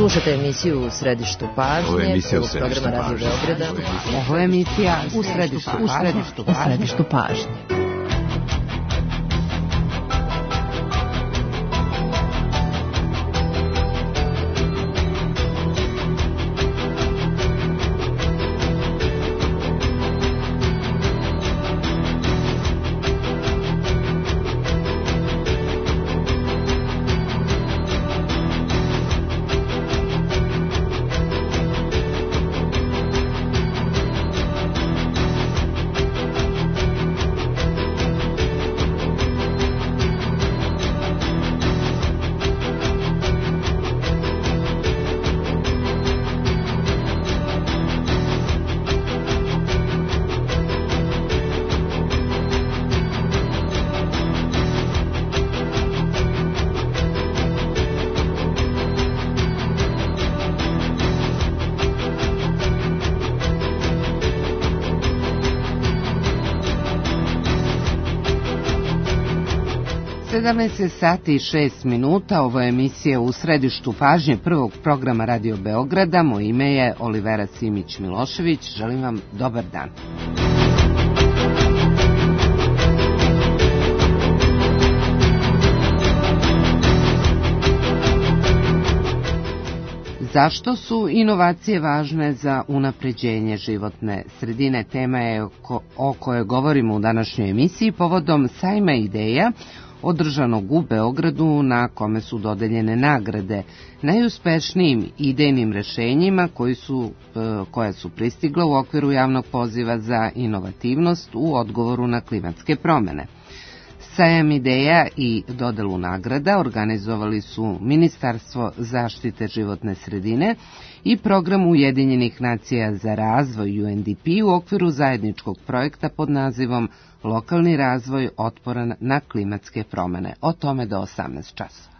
Slušate emisiju U središtu pažnje, programa Radio Beograda. Ovo je emisija U središtu pažnje. Sati i 6 minuta, ovo je emisija U središtu pažnje prvog programa Radio Beograda. Moje ime je Olivera Simić-Milošević. Želim vam dobar dan. Zašto su inovacije važne za unapređenje životne sredine? Tema je o kojoj govorimo u današnjoj emisiji povodom sajma ideja održanog u Beogradu, na kome su dodeljene nagrade najuspešnijim idejnim rešenjima koja su pristigla u okviru javnog poziva za inovativnost u odgovoru na klimatske promene. Sajam ideja i dodelu nagrada organizovali su Ministarstvo zaštite životne sredine i Program Ujedinjenih nacija za razvoj UNDP u okviru zajedničkog projekta pod nazivom Lokalni razvoj otporan na klimatske promene. O tome do 18 časova.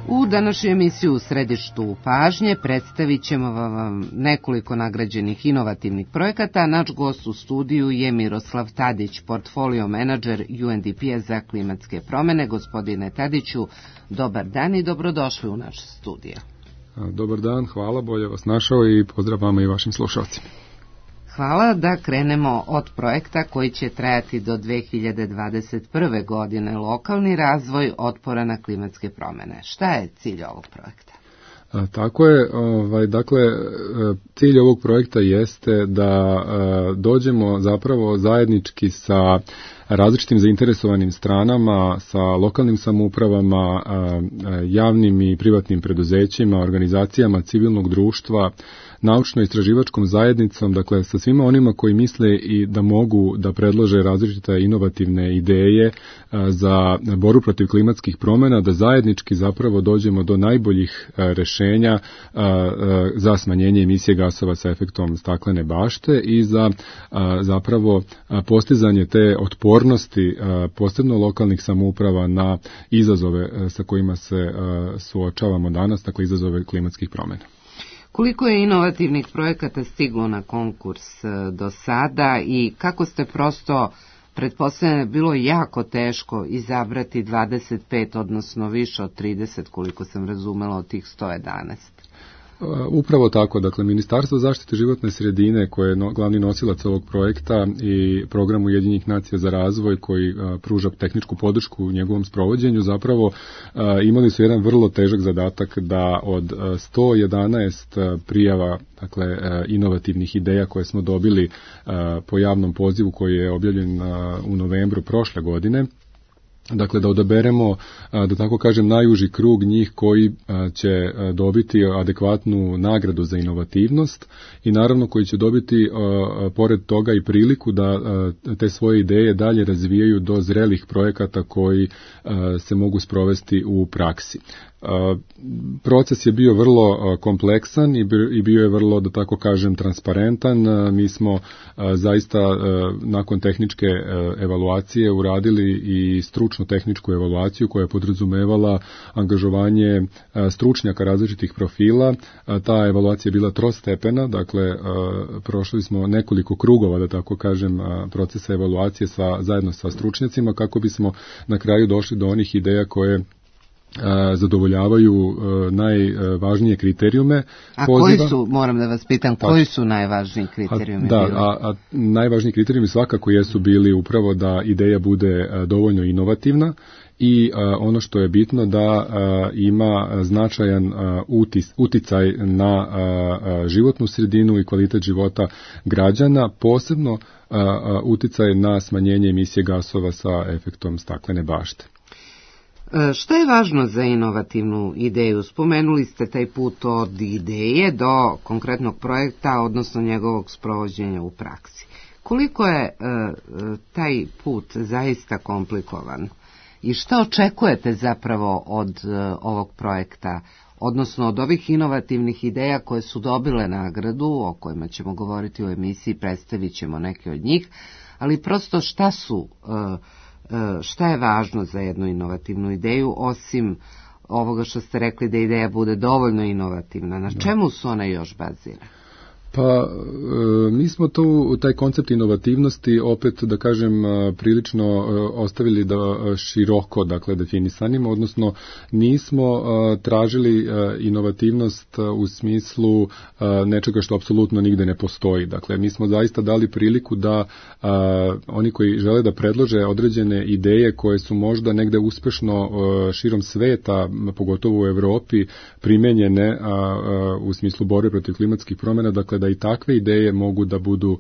U današnju emisiju U središtu pažnje predstavit ćemo vam nekoliko nagrađenih inovativnih projekata. Naš gost u studiju je Miroslav Tadić, portfolio menadžer UNDP-a za klimatske promene. Gospodine Tadiću, dobar dan i dobrodošli u naš studio. Dobar dan, hvala, bolje vas našao i pozdrav vama i vašim slušalcima. Hvala, da krenemo od projekta koji će trajati do 2021. godine, lokalni razvoj otpora na klimatske promene. Šta je cilj ovog projekta? Tako je, dakle, cilj ovog projekta jeste da dođemo zapravo zajednički sa različitim zainteresovanim stranama, sa lokalnim samoupravama, javnim i privatnim preduzećima, organizacijama civilnog društva, naučno-istraživačkom zajednicom, dakle sa svima onima koji misle i da mogu da predlože različite inovativne ideje za borbu protiv klimatskih promjena, da zajednički zapravo dođemo do najboljih rešenja za smanjenje emisije gasova sa efektom staklene bašte i za zapravo postizanje te otpornosti posebno lokalnih samouprava na izazove sa kojima se suočavamo danas, dakle izazove klimatskih promjena. Koliko je inovativnih projekata stiglo na konkurs do sada i kako ste prosto, pretpostavljeno, bilo jako teško izabrati 25, odnosno više od 30, koliko sam razumela, od tih 111? Upravo tako, dakle Ministarstvo zaštite životne sredine koje je glavni nosilac ovog projekta i Program Ujedinjenih nacija za razvoj koji pruža tehničku podršku u njegovom sprovođenju, zapravo imali su jedan vrlo težak zadatak da od 111 prijava, dakle inovativnih ideja koje smo dobili po javnom pozivu koji je objavljen u novembru prošle godine, dakle da odaberemo, da tako kažem, najuži krug njih koji će dobiti adekvatnu nagradu za inovativnost i naravno koji će dobiti pored toga i priliku da te svoje ideje dalje razvijaju do zrelih projekata koji se mogu sprovesti u praksi. Proces je bio vrlo kompleksan i bio je vrlo, da tako kažem, transparentan. Mi smo zaista nakon tehničke evaluacije uradili i stručnu tehničku evaluaciju koja je podrazumevala angažovanje stručnjaka različitih profila. Ta evaluacija je bila trostepena, dakle prošli smo nekoliko krugova, da tako kažem, procesa evaluacije zajedno sa stručnjacima kako bismo na kraju došli do onih ideja koje zadovoljavaju najvažnije kriterijume. A koji su, moram da vas pitam, koji su najvažniji kriterijumi? A najvažniji kriterijumi svakako jesu bili upravo da ideja bude dovoljno inovativna i ono što je bitno da ima značajan uticaj na životnu sredinu i kvalitet života građana, posebno uticaj na smanjenje emisije gasova sa efektom staklene bašte. Šta je važno za inovativnu ideju? Spomenuli ste taj put od ideje do konkretnog projekta, odnosno njegovog sprovođenja u praksi. Koliko je taj put zaista komplikovan? I šta očekujete zapravo od ovog projekta, odnosno od ovih inovativnih ideja koje su dobile nagradu, o kojima ćemo govoriti u emisiji, predstavit ćemo neke od njih, ali prosto šta je važno za jednu inovativnu ideju, osim ovoga što ste rekli da ideja bude dovoljno inovativna? Na čemu su ona još bazira? Pa, mi smo taj koncept inovativnosti opet, da kažem, prilično ostavili da široko, dakle, definisanimo, odnosno nismo tražili inovativnost u smislu nečega što apsolutno nigde ne postoji. Dakle, mi smo zaista dali priliku da oni koji žele da predlože određene ideje koje su možda negde uspešno širom sveta, pogotovo u Evropi, primenjene u smislu borbe protiv klimatskih promjena, dakle, da i takve ideje mogu da budu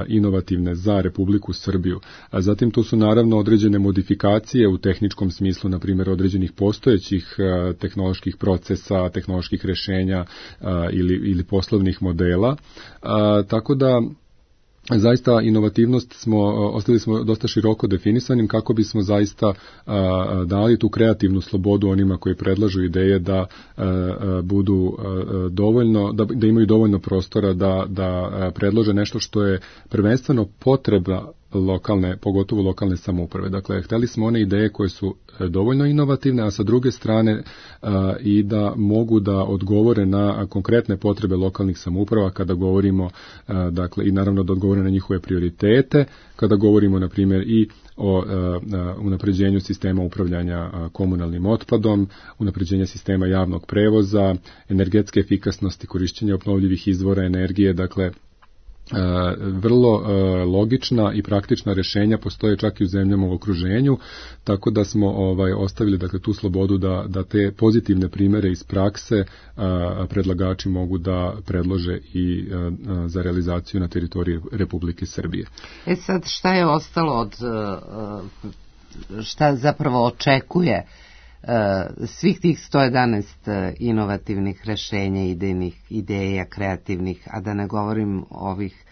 inovativne za Republiku Srbiju. A zatim tu su naravno određene modifikacije u tehničkom smislu, na primjer određenih postojećih tehnoloških procesa, tehnoloških rešenja ili poslovnih modela. Tako da zaista inovativnost ostavili smo dosta široko definisanim kako bismo zaista dali tu kreativnu slobodu onima koji predlažu ideje da budu dovoljno, da imaju dovoljno prostora da predlože nešto što je prvenstveno potreba pogotovo lokalne samouprave. Dakle, hteli smo one ideje koje su dovoljno inovativne, a sa druge strane i da mogu da odgovore na konkretne potrebe lokalnih samouprava kada govorimo, dakle, i naravno da odgovore na njihove prioritete, kada govorimo, na primjer, i o unapređenju sistema upravljanja komunalnim otpadom, unapređenja sistema javnog prevoza, energetske efikasnosti, korišćenja obnovljivih izvora energije, dakle, vrlo logična i praktična rješenja postoje čak i u zemljama u okruženju, tako da smo ostavili, dakle, tu slobodu da te pozitivne primere iz prakse predlagači mogu da predlože i za realizaciju na teritoriji Republike Srbije. Sad, šta je ostalo od šta zapravo očekuje svih tih 111 inovativnih rešenja, ideja, kreativnih, a da ne govorim ovih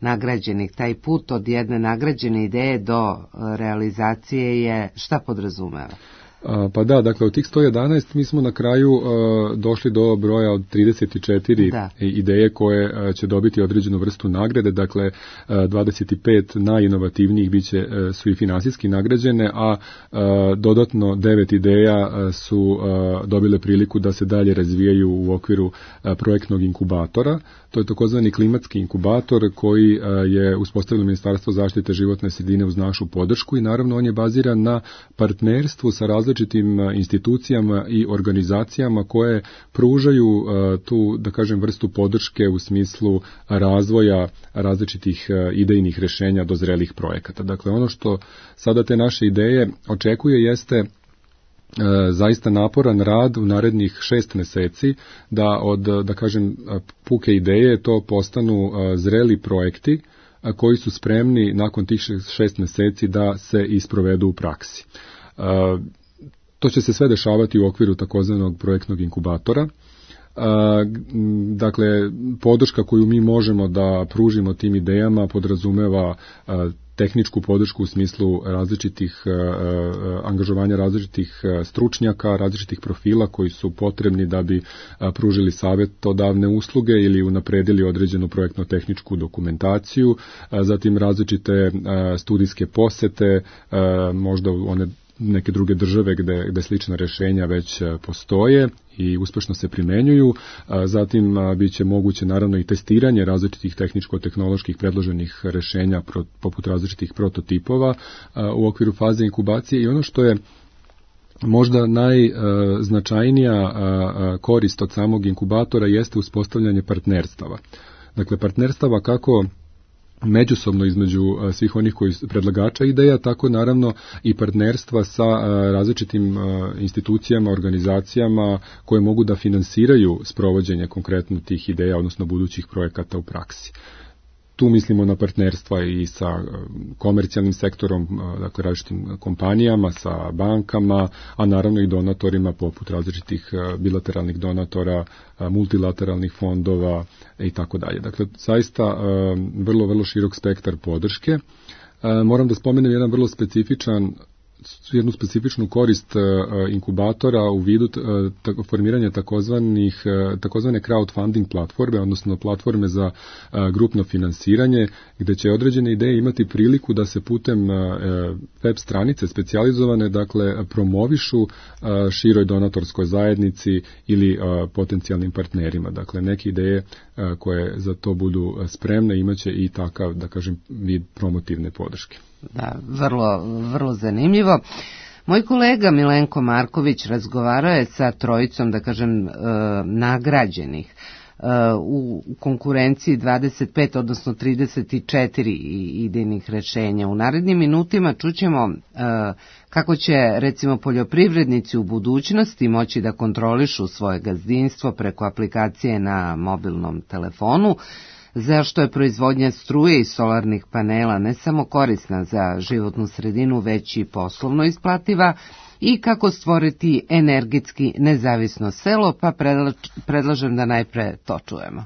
nagrađenih? Taj put od jedne nagrađene ideje do realizacije je šta podrazumeva? Pa da, dakle, od tih 111 mi smo na kraju došli do broja od 34 ideje koje će dobiti određenu vrstu nagrade, dakle 25 najinovativnijih su i finansijski nagrađene, a dodatno 9 ideja su dobile priliku da se dalje razvijaju u okviru projektnog inkubatora. To je takozvani klimatski inkubator koji je uspostavilo Ministarstvo zaštite životne sredine uz našu podršku i naravno on je baziran na partnerstvu sa različitim institucijama i organizacijama koje pružaju tu, da kažem, vrstu podrške u smislu razvoja različitih idejnih rešenja do zrelih projekata. Dakle, ono što sada te naše ideje očekuje jeste zaista naporan rad u narednih 6 meseci da od, da kažem, puke ideje to postanu zreli projekti koji su spremni nakon tih 6 meseci da se isprovedu u praksi. To će se sve dešavati u okviru takozvanog projektnog inkubatora. Dakle, podrška koju mi možemo da pružimo tim idejama podrazumeva tehničku podršku u smislu različitih angažovanja različitih stručnjaka, različitih profila koji su potrebni da bi pružili savjetodavne usluge ili unapredili određenu projektno-tehničku dokumentaciju, zatim različite studijske posete, možda one neke druge države gde slična rješenja već postoje i uspešno se primenjuju. Zatim biće moguće naravno i testiranje različitih tehničko-tehnoloških predloženih rješenja poput različitih prototipova u okviru faze inkubacije i ono što je možda najznačajnija korist od samog inkubatora jeste uspostavljanje partnerstava. Dakle, partnerstava kako međusobno između svih onih koji predlagača ideja, tako naravno i partnerstva sa različitim institucijama, organizacijama koje mogu da finansiraju sprovođenje konkretno tih ideja, odnosno budućih projekata u praksi. Tu mislimo na partnerstva i sa komercijalnim sektorom, dakle različitim kompanijama, sa bankama, a naravno i donatorima poput različitih bilateralnih donatora, multilateralnih fondova i tako dalje. Dakle, zaista vrlo širok spektar podrške. Moram da spomenem jednu specifičnu korist inkubatora u vidu formiranja takozvane crowdfunding platforme, odnosno platforme za grupno finansiranje, gde će određene ideje imati priliku da se putem web stranice specijalizovane, dakle, promovišu široj donatorskoj zajednici ili potencijalnim partnerima. Dakle, neke ideje koje za to budu spremne imaće i takav, da kažem, vid promotivne podrške. Da, vrlo zanimljivo. Moj kolega Milenko Marković razgovarao je sa trojicom, da kažem, nagrađenih u konkurenciji 25, odnosno 34 idejnih rešenja. U narednim minutima čućemo kako će, recimo, poljoprivrednici u budućnosti moći da kontrolišu svoje gazdinstvo preko aplikacije na mobilnom telefonu, zašto je proizvodnja struje i solarnih panela ne samo korisna za životnu sredinu, već i poslovno isplativa, i kako stvoriti energetski nezavisno selo, pa predlažem da najpre to čujemo.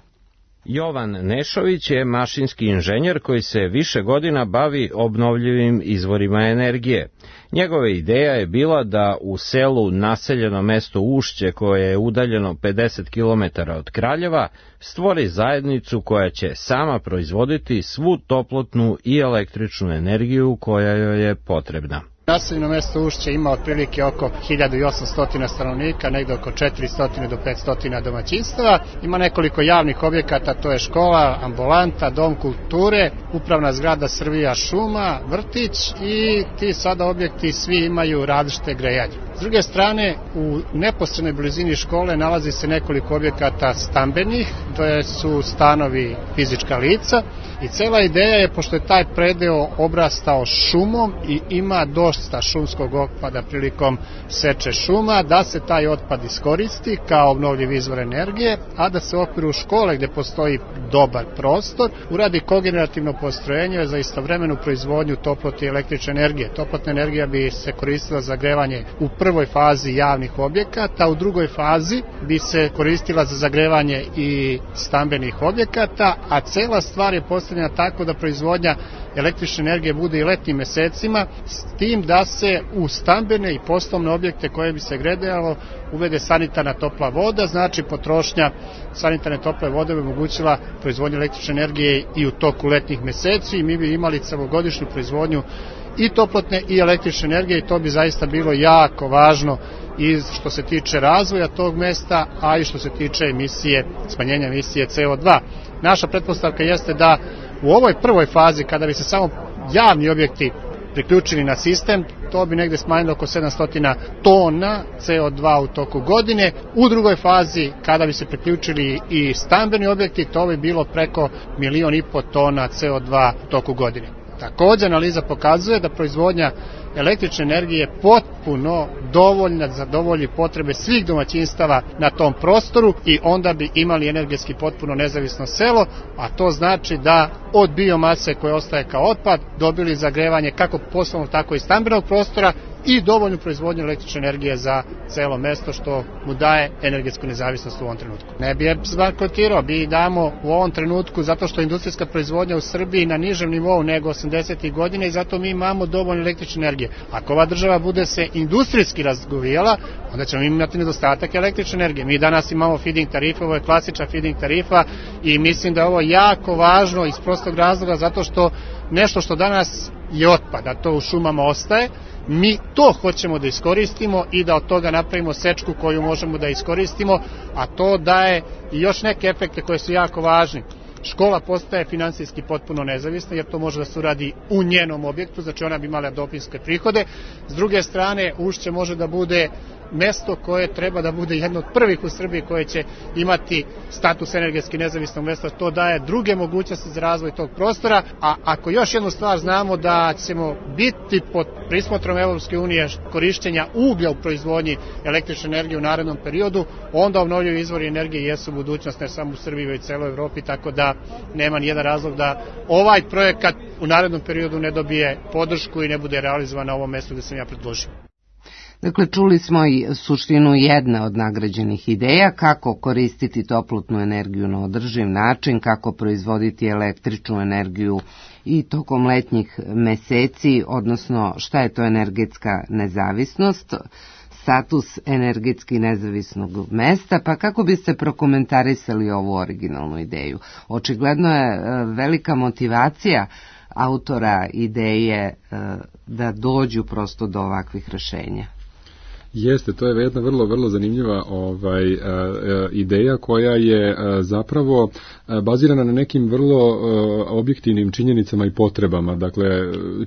Jovan Nešović je mašinski inženjer koji se više godina bavi obnovljivim izvorima energije. Njegova ideja je bila da u selu naseljeno mesto Ušće, koje je udaljeno 50 km od Kraljeva, stvori zajednicu koja će sama proizvoditi svu toplotnu i električnu energiju koja joj je potrebna. Naseljeno mesto Ušće ima otprilike oko 1800 stanovnika, negde oko 400 do 500 domaćinstava. Ima nekoliko javnih objekata, to je škola, ambulanta, dom kulture, upravna zgrada Srbija šuma, vrtić i ti sada objekti svi imaju različite grejanje. S druge strane, u neposrednoj blizini škole nalazi se nekoliko objekata stambenih, to su stanovi fizička lica i cela ideja je, pošto je taj predeo obrastao šumom i ima dosta šumskog otpada prilikom seče šuma, da se taj otpad iskoristi kao obnovljiv izvor energije, a da se u okviru škole, gde postoji dobar prostor, uradi kogenerativno postrojenje za istovremenu proizvodnju toplote i električne energije. Toplotna energija bi se koristila za grevanje u prvoj fazi javnih objekata, u drugoj fazi bi se koristila za zagrevanje i stambenih objekata, a cela stvar je postavljena tako da proizvodnja električne energije bude i letnjim mesecima, s tim da se u stambene i poslovne objekte koje bi se grejalo uvede sanitarna topla voda, znači potrošnja sanitarne tople vode bi omogućila proizvodnju električne energije i u toku letnjih meseci i mi bi imali celogodišnju proizvodnju i toplotne i električne energije i to bi zaista bilo jako važno i što se tiče razvoja tog mesta, a i što se tiče smanjenja emisije CO2. Naša pretpostavka jeste da u ovoj prvoj fazi, kada bi se samo javni objekti priključili na sistem, to bi negde smanjilo oko 700 tona CO2 u toku godine. U drugoj fazi, kada bi se priključili i stambeni objekti, to bi bilo preko 1,5 miliona tona CO2 u toku godine. Također, analiza pokazuje da proizvodnja električne energije je potpuno dovoljna da zadovolji potrebe svih domaćinstava na tom prostoru i onda bi imali energetski potpuno nezavisno selo, a to znači da od biomase koje ostaje kao otpad dobili zagrevanje kako poslovnog tako i stambenog prostora i dovoljnu proizvodnju električne energije za celo mesto, što mu daje energetsku nezavisnost u ovom trenutku. Ne bi je bankrotirao, bi damo u ovom trenutku zato što je industrijska proizvodnja u Srbiji na nižem nivou nego 80. godine i zato mi imamo dovoljno električne energije. Ako ova država bude se industrijski razgovijala, onda ćemo imati nedostatak električne energije. Mi danas imamo feeding tarife, ovo je klasična feeding tarifa i mislim da je ovo jako važno iz prostog razloga zato što nešto što danas je otpad, a to u šumama ostaje, mi to hoćemo da iskoristimo i da od toga napravimo sečku koju možemo da iskoristimo, a to daje i još neke efekte koje su jako važni. Škola postaje finansijski potpuno nezavisna jer to može da se uradi u njenom objektu, znači ona bi imala dopunske prihode. S druge strane, Ušće može da bude mesto koje treba da bude jedno od prvih u Srbiji koje će imati status energetski nezavisnog mesta, to daje druge mogućnosti za razvoj tog prostora, a ako još jednu stvar znamo da ćemo biti pod prismotrom Evropske unije korišćenja uglja u proizvodnji električne energije u narednom periodu, onda obnovljivi izvori energije jesu budućnost ne samo u Srbiji već u celoj Evropi, tako da nema nijedan razlog da ovaj projekat u narednom periodu ne dobije podršku i ne bude realizovan na ovom mestu gde sam ja predložio. Dakle, čuli smo i suštinu jedne od nagrađenih ideja, kako koristiti toplotnu energiju na održiv način, kako proizvoditi električnu energiju i tokom letnjih meseci, odnosno šta je to energetska nezavisnost, status energetski nezavisnog mesta, pa kako biste prokomentarisali ovu originalnu ideju? Očigledno je velika motivacija autora ideje da dođu prosto do ovakvih rešenja. Jeste, to je jedna vrlo zanimljiva ideja koja je zapravo bazirana na nekim vrlo objektivnim činjenicama i potrebama. Dakle,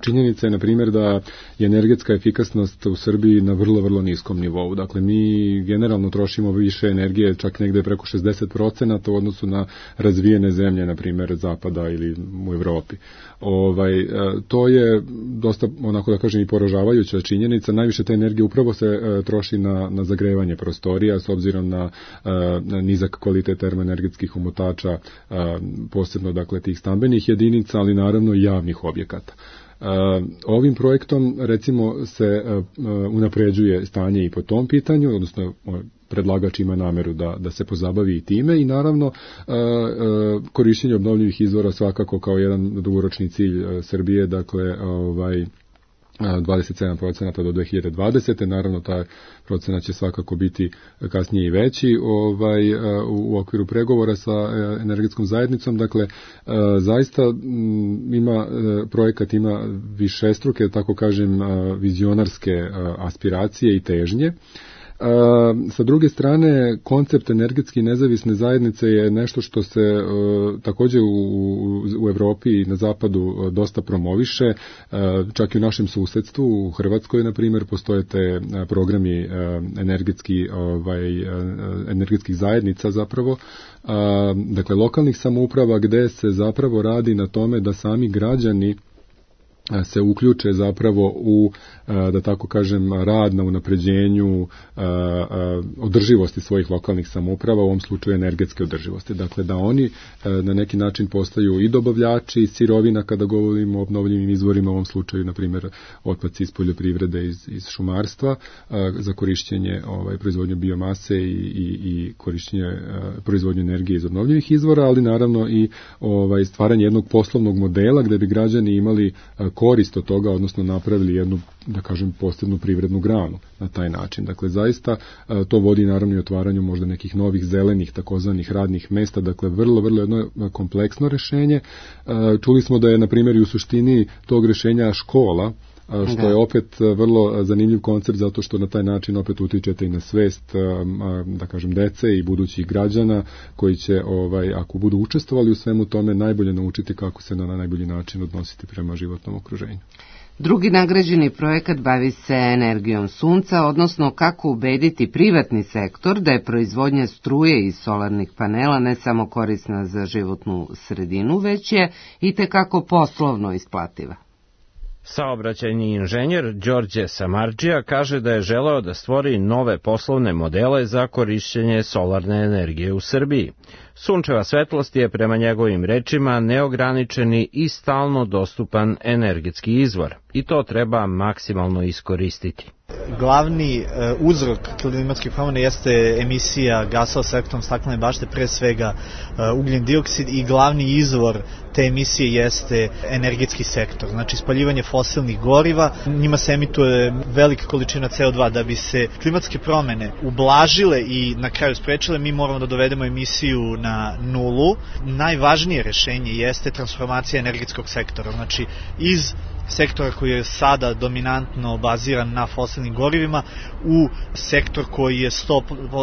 činjenica je, na primjer, da je energetska efikasnost u Srbiji na vrlo niskom nivou. Dakle, mi generalno trošimo više energije, čak negde preko 60% u odnosu na razvijene zemlje, na primjer, Zapada ili u Evropi. To je dosta, onako da kažem, i poražavajuća činjenica. Najviše te energije upravo se troši na zagrevanje prostorija s obzirom na nizak kvalitet termoenergetskih omotača, posebno dakle tih stambenih jedinica, ali naravno i javnih objekata. Ovim projektom recimo se unapređuje stanje i po tom pitanju, odnosno predlagač ima nameru da se pozabavi i time i naravno korišćenje obnovljivih izvora svakako kao jedan dugoročni cilj Srbije, dakle 27% do 2020. Naravno, taj procenat će svakako biti kasnije i veći u okviru pregovora sa energetskom zajednicom. Dakle, zaista projekat ima višestruke, tako kažem, vizionarske aspiracije i težnje. Sa druge strane, koncept energetski nezavisne zajednice je nešto što se također u Evropi i na zapadu dosta promoviše, čak i u našem susedstvu, u Hrvatskoj, na primjer, postoje te programi energetskih zajednica zapravo, dakle lokalnih samouprava gde se zapravo radi na tome da sami građani se uključe zapravo u, da tako kažem, rad na unapređenju održivosti svojih lokalnih samouprava, u ovom slučaju energetske održivosti. Dakle, da oni na neki način postaju i dobavljači sirovina kada govorimo o obnovljivim izvorima, u ovom slučaju, na primjer, otpaci iz poljoprivrede, iz šumarstva, za korišćenje proizvodnju biomase i korišćenje proizvodnju energije iz obnovljivih izvora, ali naravno i stvaranje jednog poslovnog modela gde bi građani imali korist od toga, odnosno napravili jednu, da kažem, posebnu privrednu granu na taj način. Dakle, zaista to vodi naravno i otvaranju možda nekih novih zelenih takozvanih radnih mesta, dakle vrlo jedno kompleksno rešenje. Čuli smo da je, na primjer, i u suštini tog rešenja škola, što je opet vrlo zanimljiv koncept zato što na taj način opet utičete i na svest, da kažem, dece i budućih građana koji će, ako budu učestvovali u svemu tome, najbolje naučiti kako se na najbolji način odnositi prema životnom okruženju. Drugi nagrađeni projekat bavi se energijom sunca, odnosno kako ubediti privatni sektor da je proizvodnja struje iz solarnih panela ne samo korisna za životnu sredinu, već je itekako poslovno isplativa. Saobraćajni inženjer Đorđe Samardžija kaže da je želeo da stvori nove poslovne modele za korišćenje solarne energije u Srbiji. Sunčeva svetlost je prema njegovim rečima neograničeni i stalno dostupan energetski izvor i to treba maksimalno iskoristiti. Glavni uzrok klimatskih promjena jeste emisija gasova sa efektom staklene bašte, pre svega ugljen dioksid, i glavni izvor te emisije jeste energetski sektor, znači spaljivanje fosilnih goriva. Njima se emituje velika količina CO2. Da bi se klimatske promjene ublažile i na kraju sprečile, mi moramo da dovedemo emisiju na nulu. Najvažnije rešenje jeste transformacija energetskog sektora, znači iz sektora koji je sada dominantno baziran na fosilnim gorivima u sektor koji je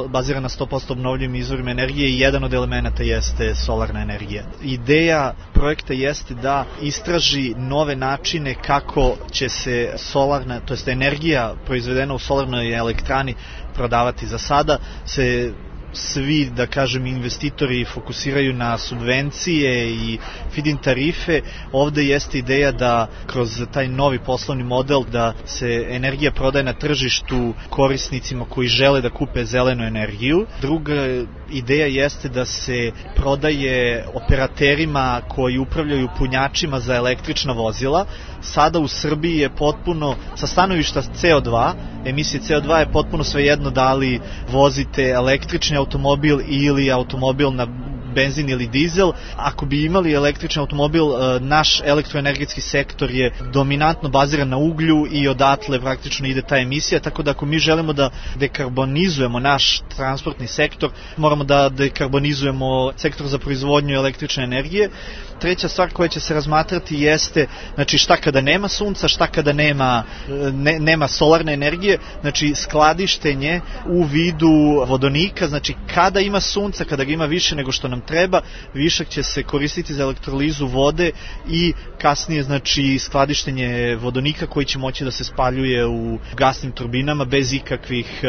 baziran na 100% obnovljivim izvorima energije i jedan od elemenata jeste solarna energija. Ideja projekta jeste da istraži nove načine kako će se solarna, to jest energija proizvedena u solarnoj elektrani prodavati. Za sada se svi, da kažem, investitori fokusiraju na subvencije i feed-in tarife. Ovde jeste ideja da kroz taj novi poslovni model da se energija prodaje na tržištu korisnicima koji žele da kupe zelenu energiju. Druga ideja jeste da se prodaje operaterima koji upravljaju punjačima za električna vozila. Sada u Srbiji je potpuno, sa stanovišta CO2, emisije CO2 je potpuno svejedno da li vozite električni automobil ili automobil na benzin ili dizel. Ako bi imali električni automobil, naš elektroenergetski sektor je dominantno baziran na uglju i odatle praktično ide ta emisija, tako da ako mi želimo da dekarbonizujemo naš transportni sektor, moramo da dekarbonizujemo sektor za proizvodnju električne energije. Treća stvar koja će se razmatrati jeste, znači, šta kada nema sunca, šta kada nema solarne energije, znači skladištenje u vidu vodonika, znači kada ima sunca, kada ga ima više nego što nam treba, višak će se koristiti za elektrolizu vode i kasnije, znači, skladištenje vodonika koji će moći da se spaljuje u gasnim turbinama bez ikakvih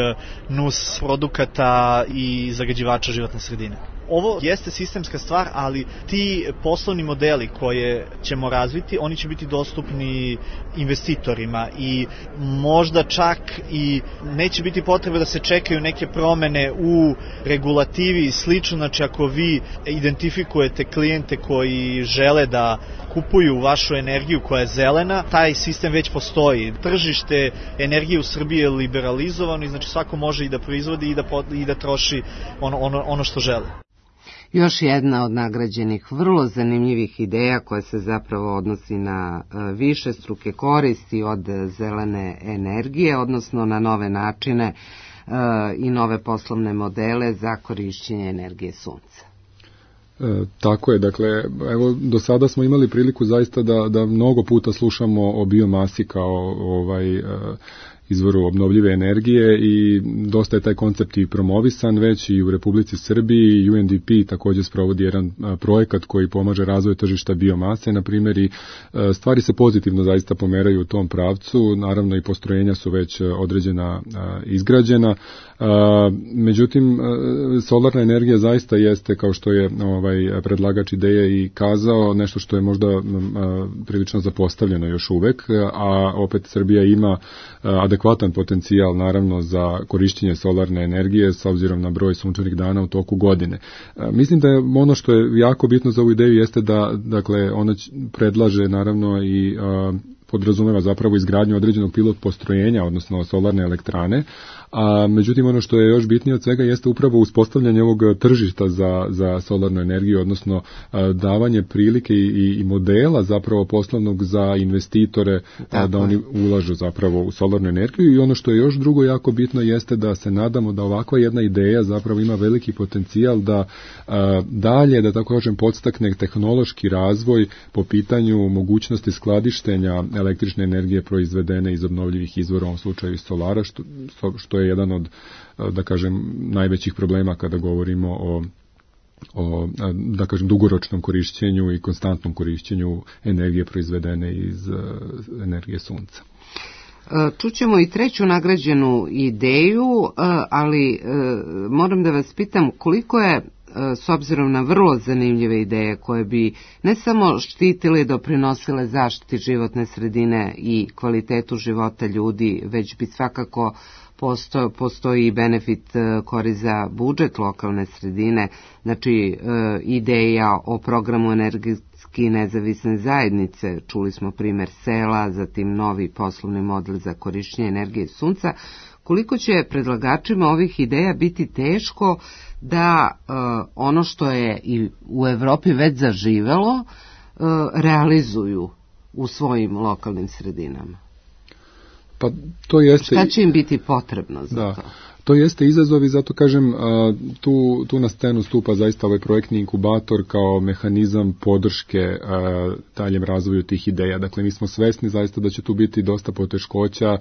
nus produkata i zagađivača životne sredine. Ovo jeste sistemska stvar, ali ti poslovni modeli koje ćemo razviti, oni će biti dostupni investitorima i možda čak i neće biti potrebe da se čekaju neke promene u regulativi i slično. Znači, ako vi identifikujete klijente koji žele da kupuju vašu energiju koja je zelena, taj sistem već postoji. Tržište energije u Srbiji je liberalizovano i znači svako može i da proizvodi i da troši ono što žele. Još jedna od nagrađenih vrlo zanimljivih ideja koja se zapravo odnosi na višestruke koristi od zelene energije, odnosno na nove načine i nove poslovne modele za korišćenje energije sunca. Tako je, dakle, evo, do sada smo imali priliku zaista da mnogo puta slušamo o biomasi kao izvoru obnovljive energije i dosta je taj koncept i promovisan već i u Republici Srbiji. UNDP također sprovodi jedan projekat koji pomaže razvoju tržišta biomase, na primjer, i stvari se pozitivno zaista pomeraju u tom pravcu. Naravno i postrojenja su već određena izgrađena. Međutim, solarna energija zaista jeste, kao što je predlagač ideje i kazao, nešto što je možda prilično zapostavljeno još uvek, a opet Srbija ima adekvatan potencijal naravno za korišćenje solarne energije s obzirom na broj sunčanih dana u toku godine. Mislim da je ono što je jako bitno za ovu ideju jeste da, dakle, ona predlaže naravno i podrazumeva zapravo izgradnju određenog pilot postrojenja, odnosno solarne elektrane, a međutim ono što je još bitnije od svega jeste upravo uspostavljanje ovog tržišta za solarnu energiju, odnosno davanje prilike i modela zapravo poslovnog za investitore da oni ulažu zapravo u solarnu energiju. I ono što je još drugo jako bitno jeste da se nadamo da ovakva jedna ideja zapravo ima veliki potencijal da dalje, da tako kažem, podstakne tehnološki razvoj po pitanju mogućnosti skladištenja električne energije proizvedene iz obnovljivih izvora, u ovom slučaju iz solara, što je jedan od, da kažem, najvećih problema kada govorimo o da kažem, dugoročnom korišćenju i konstantnom korišćenju energije proizvedene iz energije sunca. Čućemo i treću nagrađenu ideju, ali moram da vas pitam koliko je, s obzirom na vrlo zanimljive ideje koje bi ne samo štitile i doprinosile zaštiti životne sredine i kvalitetu života ljudi, već bi svakako postoji benefit korist za budžet lokalne sredine, znači ideja o programu energetski nezavisne zajednice, čuli smo primer sela, zatim novi poslovni model za korišćenje energije sunca. Koliko će predlagačima ovih ideja biti teško da ono što je i u Evropi već zaživelo realizuju u svojim lokalnim sredinama? Pa to jeste... Šta će im biti potrebno za to? To jeste izazov i zato kažem, tu na scenu stupa zaista ovaj projektni inkubator kao mehanizam podrške daljem razvoju tih ideja. Dakle, mi smo svesni zaista da će tu biti dosta poteškoća,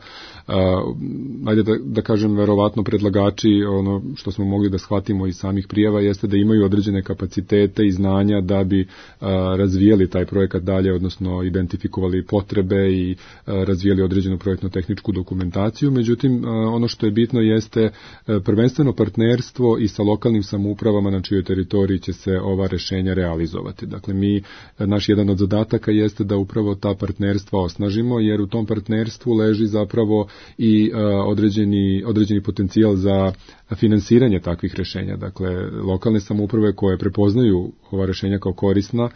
ajde da kažem, verovatno predlagači, ono što smo mogli da shvatimo iz samih prijava, jeste da imaju određene kapacitete i znanja da bi razvijali taj projekat dalje, odnosno identifikovali potrebe i razvijali određenu projektno-tehničku dokumentaciju. Međutim, ono što je bitno jeste prvenstveno partnerstvo i sa lokalnim samoupravama na čijoj teritoriji će se ova rešenja realizovati. Dakle, naš jedan od zadataka jeste da upravo ta partnerstva osnažimo, jer u tom partnerstvu leži zapravo i određeni potencijal za finansiranje takvih rešenja. Dakle, lokalne samouprave koje prepoznaju ova rešenja kao korisna,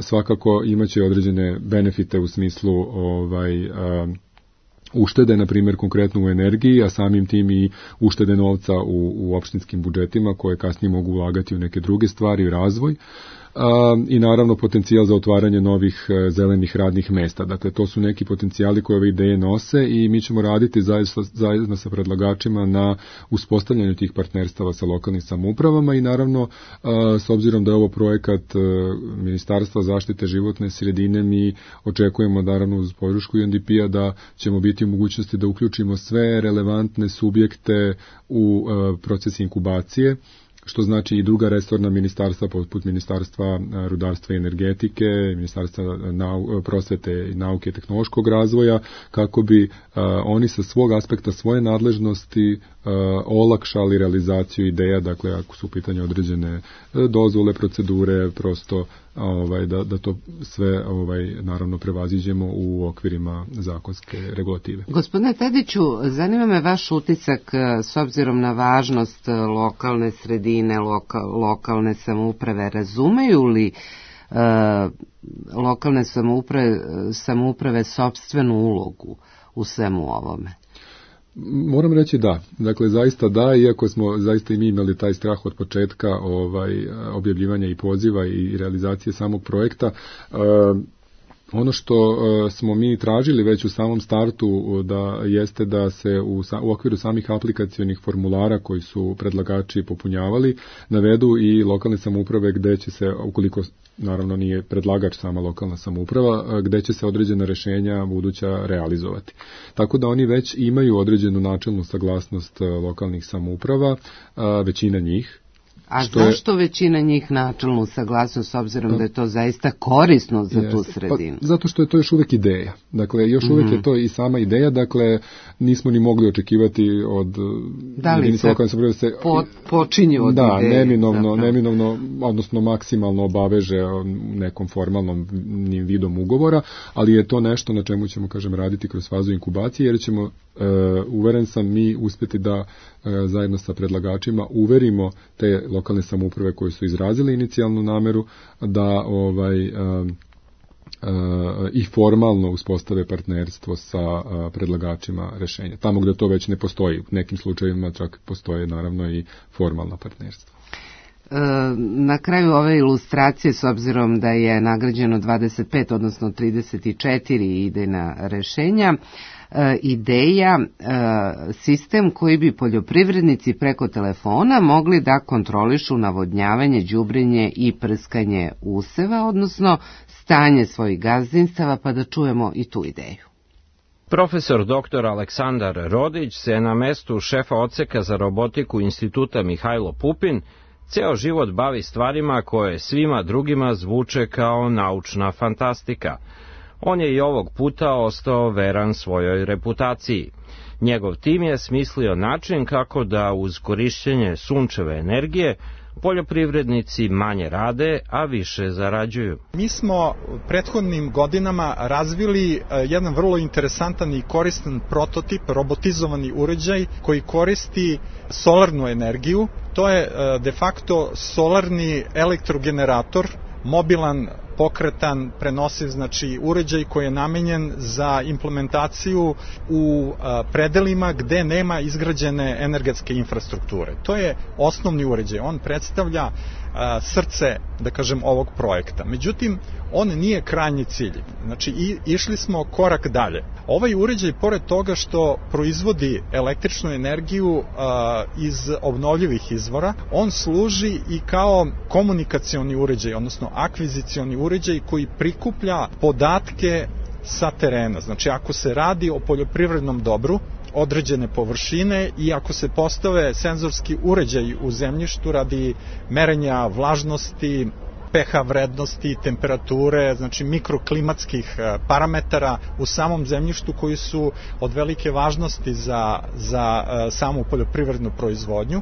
svakako imaće određene benefite u smislu uštede, na primjer, konkretno u energiji, a samim tim i uštede novca u opštinskim budžetima koje kasnije mogu ulagati u neke druge stvari, u razvoj. I naravno potencijal za otvaranje novih zelenih radnih mesta. Dakle, to su neki potencijali koje ove ideje nose i mi ćemo raditi zajedno sa predlagačima na uspostavljanju tih partnerstava sa lokalnim samoupravama i naravno, s obzirom da je ovo projekat Ministarstva zaštite životne sredine, mi očekujemo naravno uz podršku UNDP-a da ćemo biti u mogućnosti da uključimo sve relevantne subjekte u proces inkubacije, što znači i druga resorna ministarstva poput Ministarstva rudarstva i energetike, Ministarstva prosvete i nauke i tehnološkog razvoja, kako bi oni sa svog aspekta svoje nadležnosti olakšali realizaciju ideja, dakle ako su u pitanju određene dozvole, procedure, prosto da to sve naravno prevaziđemo u okvirima zakonske regulative. Gospodine Tadiću, zanima me vaš utisak s obzirom na važnost lokalne sredine, lokalne samouprave. Razumeju li lokalne samouprave sopstvenu ulogu u svemu ovome? Moram reći da. Dakle, zaista da, iako smo zaista i mi imali taj strah od početka objavljivanja i poziva i realizacije samog projekta, ono što smo mi tražili već u samom startu jeste da se u okviru samih aplikacionih formulara koji su predlagači popunjavali navedu i lokalne samouprave gde će se, ukoliko naravno nije predlagač sama lokalna samouprava, gde će se određena rešenja buduća realizovati. Tako da oni već imaju određenu načelnu saglasnost lokalnih samouprava, većina njih. A zašto većina njih načelnu saglasnost, s obzirom da je to zaista korisno za tu sredinu? Pa, zato što je to još uvek ideja. Dakle, još uvek je to i sama ideja, dakle, nismo ni mogli očekivati od jedinica lokalne samouprave da se počinju od ideje. Neminovno, odnosno maksimalno obaveže nekom formalnom vidom ugovora, ali je to nešto na čemu ćemo, raditi kroz fazu inkubacije, jer ćemo, uveren sam, mi uspjeti da zajedno sa predlagačima uverimo te lokalne samouprave koje su izrazile inicijalnu nameru da i formalno uspostave partnerstvo sa predlagačima rešenja. Tamo gde to već ne postoji, u nekim slučajevima čak postoje naravno i formalna partnerstva. Na kraju ove ilustracije, s obzirom da je nagrađeno 25, odnosno 34 idejna rešenja, ideja sistem koji bi poljoprivrednici preko telefona mogli da kontrolišu navodnjavanje, đubrenje i prskanje useva, odnosno stanje svojih gazdinstava, pa da čujemo i tu ideju. Profesor dr. Aleksandar Rodić se na mestu šefa odseka za robotiku Instituta Mihajlo Pupin ceo život bavi stvarima koje svima drugima zvuče kao naučna fantastika. On je i ovog puta ostao veran svojoj reputaciji. Njegov tim je smislio način kako da uz korišćenje sunčeve energije poljoprivrednici manje rade, a više zarađuju. Mi smo prethodnim godinama razvili jedan vrlo interesantan i koristan prototip, robotizovani uređaj koji koristi solarnu energiju. To je de facto solarni elektrogenerator, mobilan, pokretan, prenosiv, znači uređaj koji je namenjen za implementaciju u predelima gde nema izgrađene energetske infrastrukture. To je osnovni uređaj, on predstavlja srce, da kažem, ovog projekta. Međutim, on nije krajnji cilj. Znači, išli smo korak dalje. Ovaj uređaj, pored toga što proizvodi električnu energiju iz obnovljivih izvora, on služi i kao komunikacioni uređaj, odnosno akvizicioni uređaj koji prikuplja podatke sa terena. Znači, ako se radi o poljoprivrednom dobru, određene površine i ako se postave senzorski uređaj u zemljištu radi merenja vlažnosti, pH vrednosti, temperature, znači mikroklimatskih parametara u samom zemljištu koji su od velike važnosti za samu poljoprivrednu proizvodnju.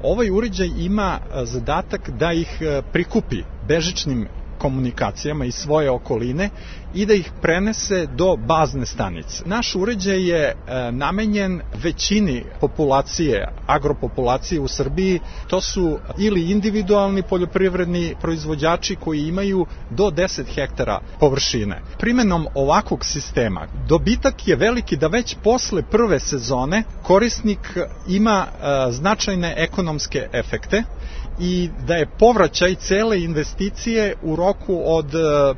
Ovaj uređaj ima zadatak da ih prikupi bežičnim komunikacijama iz svoje okoline i da ih prenese do bazne stanice. Naš uređaj je namenjen većini populacije, agropopulacije u Srbiji. To su ili individualni poljoprivredni proizvođači koji imaju do 10 hektara površine. Primenom ovakvog sistema dobitak je veliki da već posle prve sezone korisnik ima značajne ekonomske efekte i da je povraćaj cele investicije u roku od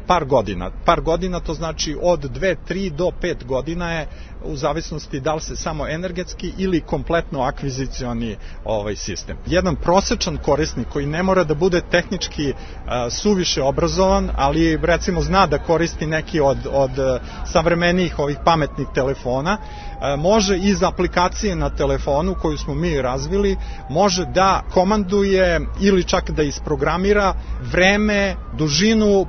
par godina. Par godina to znači od 2, 3 do 5 godina je u zavisnosti da li se samo energetski ili kompletno akvizicioni sistem. Jedan prosečan korisnik koji ne mora da bude tehnički suviše obrazovan, ali recimo zna da koristi neki od savremenijih ovih pametnih telefona, može iz aplikacije na telefonu koju smo mi razvili, može da komanduje ili čak da isprogramira vreme, dužinu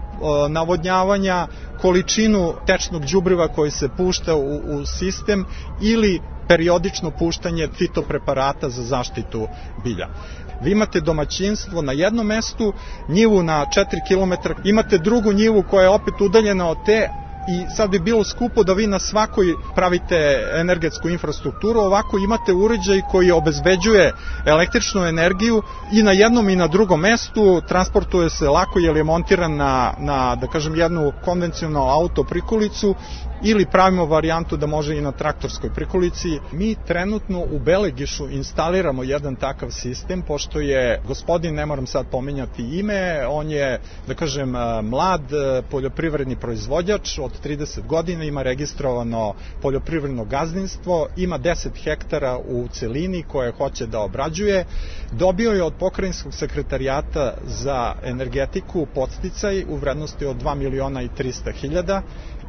navodnjavanja, količinu tečnog đubriva koji se pušta u sistem ili periodično puštanje fitopreparata za zaštitu bilja. Vi imate domaćinstvo na jednom mestu, njivu na 4 km, imate drugu njivu koja je opet udaljena od te, i sad bi bilo skupo da vi na svakoj pravite energetsku infrastrukturu, ovako imate uređaj koji obezbeđuje električnu energiju i na jednom i na drugom mestu, transportuje se lako jer je montiran na da kažem, jednu konvencionalnu auto prikolicu ili pravimo varijantu da može i na traktorskoj prikolici. Mi trenutno u Belegišu instaliramo jedan takav sistem, pošto je gospodin, ne moram sad pominjati ime, on je, da kažem, mlad poljoprivredni proizvođač od 30 godina, ima registrovano poljoprivredno gazdinstvo, ima 10 hektara u celini koje hoće da obrađuje, dobio je od pokrajinskog sekretarijata za energetiku podsticaj u vrednosti od 2.300.000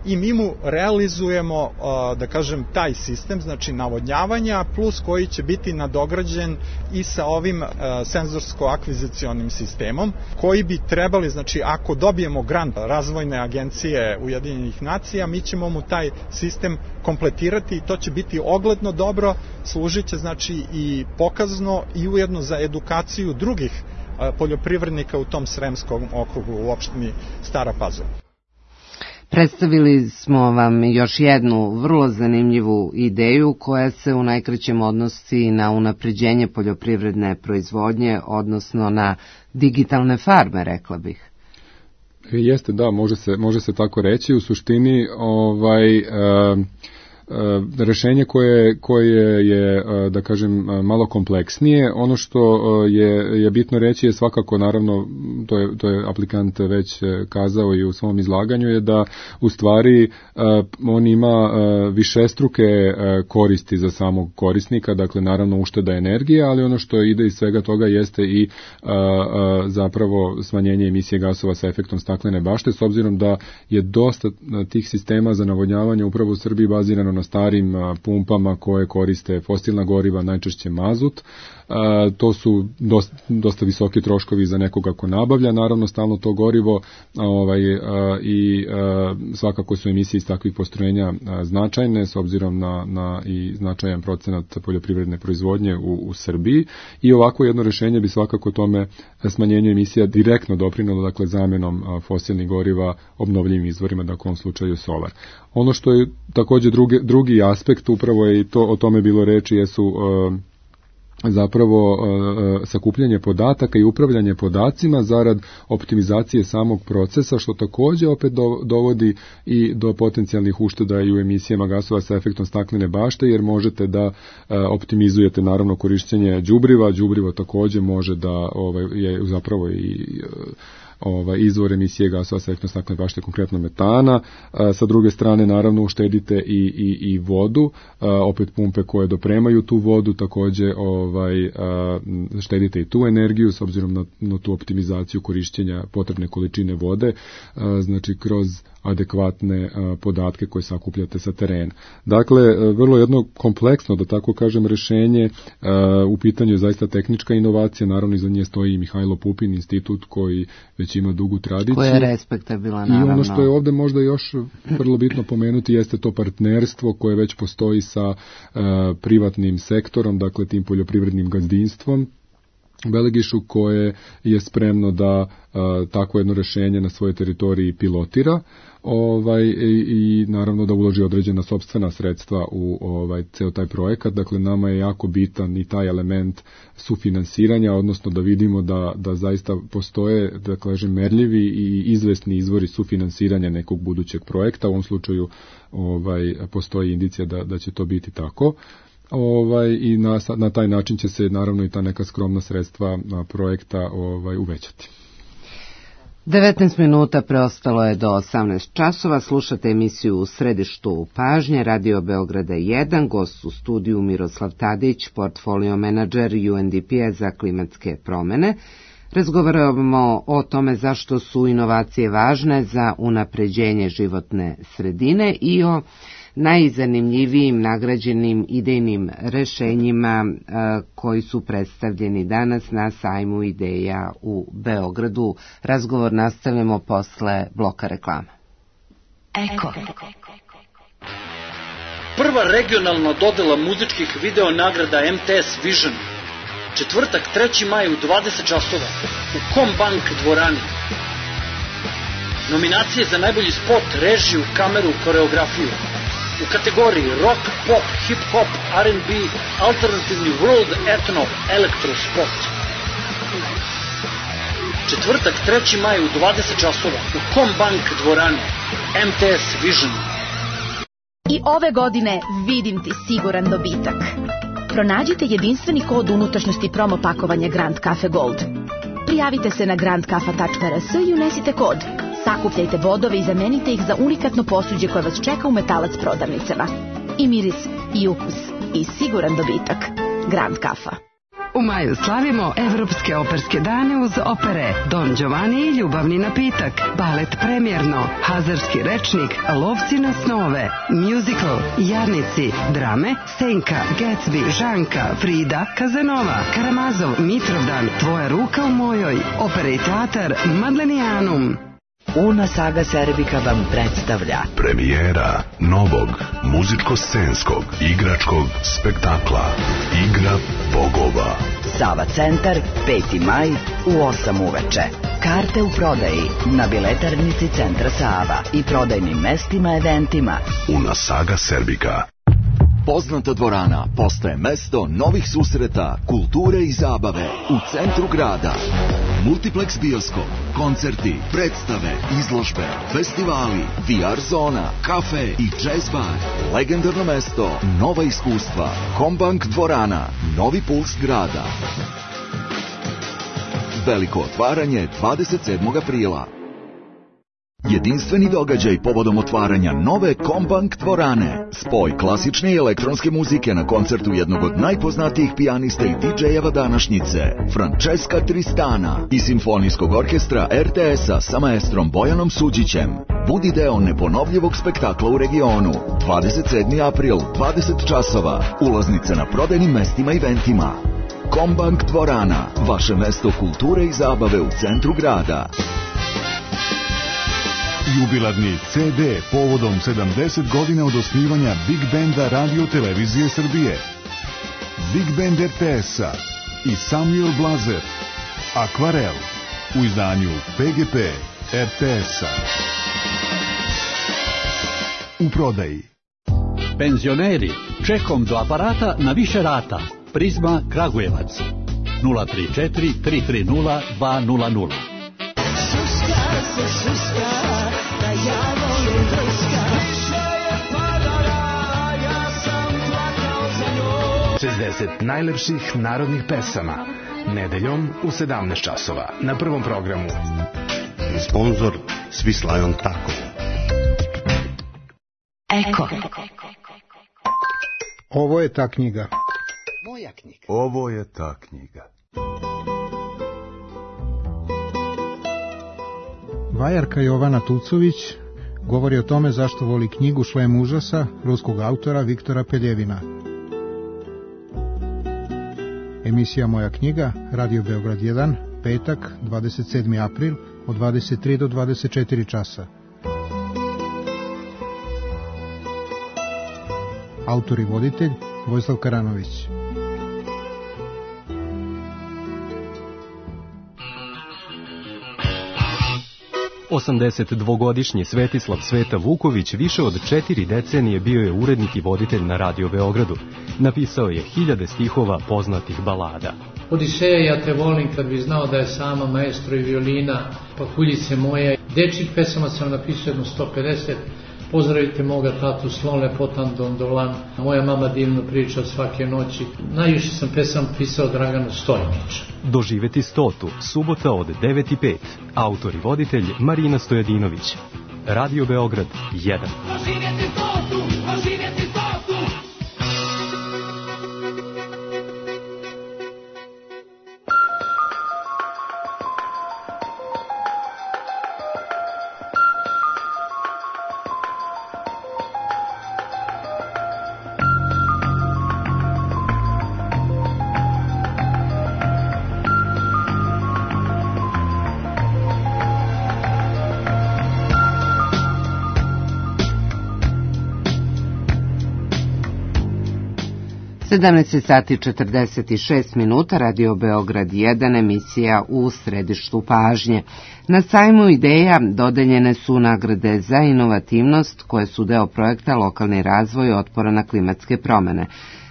i mi mu realizujemo, da kažem, taj sistem, znači navodnjavanja, plus koji će biti nadograđen i sa ovim senzorsko-akvizicionim sistemom, koji bi trebali, znači ako dobijemo grant Razvojne agencije Ujedinjenih nacija, mi ćemo mu taj sistem kompletirati i to će biti ogledno dobro, služit će znači i pokazno i ujedno za edukaciju drugih poljoprivrednika u tom Sremskom okrugu u opštini Stara Pazova. Predstavili smo vam još jednu vrlo zanimljivu ideju koja se u najkraćem odnosi na unapređenje poljoprivredne proizvodnje, odnosno na digitalne farme, rekla bih. Jeste, da, može se tako reći. U suštini rešenje koje je, da kažem, malo kompleksnije. Ono što je bitno reći je svakako, naravno, to je aplikant već kazao i u svom izlaganju, je da u stvari on ima višestruke koristi za samog korisnika, dakle naravno ušteda energije, ali ono što ide iz svega toga jeste i zapravo smanjenje emisije gasova sa efektom staklene bašte, s obzirom da je dosta tih sistema za navodnjavanje upravo u Srbiji bazirano naravno starim pumpama koje koriste fosilna goriva, najčešće mazut. To su dosta visoki troškovi za nekoga ko nabavlja naravno stalno to gorivo, i svakako su emisije iz takvih postrojenja značajne s obzirom na i značajan procenat poljoprivredne proizvodnje u Srbiji, i ovako jedno rešenje bi svakako tome smanjenju emisija direktno doprinelo, dakle zamenom fosilnih goriva obnovljivim izvorima, dakle u ovom slučaju solar. Ono što je takođe drugi aspekt, upravo je i to, o tome bilo reči, jesu zapravo sakupljanje podataka i upravljanje podacima zarad optimizacije samog procesa, što takođe opet dovodi i do potencijalnih ušteda i u emisijama gasova sa efektom staklene bašte, jer možete da optimizujete naravno korišćenje đubrivo takođe može da je zapravo i izvor emisije gasova sa efektom staklene bašte, konkretno metana. Sa druge strane, naravno, uštedite i vodu, opet pumpe koje dopremaju tu vodu, takođe štedite i tu energiju s obzirom na tu optimizaciju korišćenja potrebne količine vode, znači kroz adekvatne podatke koje sakupljate sa terena. Dakle, vrlo jedno kompleksno, da tako kažem, rešenje. U pitanju je zaista tehnička inovacija, naravno iza nje stoji i Mihajlo Pupin institut koji već ima dugu tradiciju. Koja je respektabilna, naravno. I ono što je ovde možda još vrlo bitno pomenuti jeste to partnerstvo koje već postoji sa privatnim sektorom, dakle tim poljoprivrednim gazdinstvom Belegišu, koje je spremno da tako jedno rešenje na svojoj teritoriji pilotira i naravno da uloži određena sopstvena sredstva u ceo taj projekat. Dakle, nama je jako bitan i taj element sufinansiranja, odnosno da vidimo da zaista postoje, da kažem, merljivi i izvesni izvori sufinansiranja nekog budućeg projekta. U ovom slučaju postoji indicija da će to biti tako. I na taj način će se naravno i ta neka skromna sredstva projekta uvećati. 19 minuta preostalo je do 18 časova. Slušate emisiju U središtu pažnje, Radio Beograda 1, gost u studiju Miroslav Tadić, portfolio menadžer UNDP-a za klimatske promene. Razgovaramo o tome zašto su inovacije važne za unapređenje životne sredine i o najzanimljivijim nagrađenim idejnim rešenjima koji su predstavljeni danas na sajmu ideja u Beogradu. Razgovor nastavljamo posle bloka reklama. Eko. Prva regionalna dodela muzičkih video nagrada MTS Vision. Četvrtak, 3. maj u 20 časova u Combank dvorani. Nominacije za najbolji spot, režiju, kameru, koreografiju. U kategoriji rock, pop, hip-hop, R&B, alternativni world, etno, elektro, spot. Četvrtak, 3. maj u 20 časova u Combank dvorani. MTS Vision. I ove godine vidim ti siguran dobitak. Pronađite jedinstveni kod unutrašnjosti promo pakovanja Grand Cafe Gold. Prijavite se na grandkafa.rs i unesite kod. Sakupljajte bodove i zamenite ih za unikatno posuđe koje vas čeka u Metalac prodavnicama. I miris, i ukus, i siguran dobitak. Grand Kafa. U maju slavimo Evropske operske dane uz opere Don Giovanni i ljubavni napitak, balet Premjerno, Hazarski rečnik, Lovci na snove, musical, Jarnici, drame, Senka, Gatsby, Žanka, Frida, Kazanova, Karamazov, Mitrovdan, Tvoja ruka u mojoj, opera i teatar Madlenijanum. Una Saga Serbika vam predstavlja premijera novog muzičko-scenskog igračkog spektakla Igra bogova. Sava centar, 5. maj u 8 uveče. Karte u prodaji na biletarnici Centra Sava i prodajnim mestima eventima. Una Saga Serbika. Poznata dvorana postaje mesto novih susreta, kulture i zabave u centru grada. Multiplex bioskop, koncerti, predstave, izložbe, festivali, VR zona, kafe i jazz bar. Legendarno mesto, nova iskustva. Combank dvorana, novi puls grada. Veliko otvaranje 27. aprila. Jedinstveni događaj povodom otvaranja nove Kombank dvorane. Spoj klasične i elektronske muzike na koncertu jednog od najpoznatijih pijanista i DJ-eva današnjice, Francesca Tristana, i simfonijskog orkestra RTS-a sa maestrom Bojanom Suđićem. Budi deo neponovljivog spektakla u regionu. 27. april, 20 časova. Ulaznice na prodajnim mestima i eventima. Kombank dvorana, vaše mesto kulture i zabave u centru grada. Jubilarni CD povodom 70 godina od osnivanja Big Banda Radio Televizije Srbije. Big Band RTS-a i Samuel Blazer. Akvarel u izdanju PGP RTS-a. U prodaji. Penzioneri, čekom do aparata na više rata. Prizma Kragujevac 034 330 200. Suska se suska, da ja volim vrska. Više je padala, ja sam plakao za njom. 60 najlepših narodnih pesama. Nedeljom u 17 časova na Prvom programu. Sponzor Swiss Lion Taco. Eko. Ovo je ta knjiga. Moja knjiga. Ovo je ta knjiga. Vajarka Jovana Tucović govori o tome zašto voli knjigu Šlem užasa ruskog autora Viktora Peljevina. Emisija Moja knjiga, Radio Beograd 1, petak, 27. april, od 23 do 24 časa. Autor i voditelj Vojislav Karanović. Osamdesetdvogodišnji Svetislav Sveta Vuković više od 4 decenije bio je urednik i voditelj na Radio Beogradu. Napisao je hiljade stihova poznatih balada. Odiseja, ja te volim, kad bi znao da je sama maestro i violina, Pakuljice moje. Dečjih pesama sam napisao jedno 150. Pozdravite moga tatu, slon lepotan dondolan, moja mama divno priča svake noći. Najviše sam pesama pisao Draganu Stojnića. Doživeti 100, subota od 9:05. Autor i voditelj Marina Stojadinović. Radio Beograd 1. Doživjeti 100, doživjeti 100. sati 46 minuta, Radio Beograd 1, emisija u središtu pažnje. Na sajmu ideja dodeljene su nagrade za inovativnost koje su deo projekta Lokalni razvoj otpora na klimatske promene.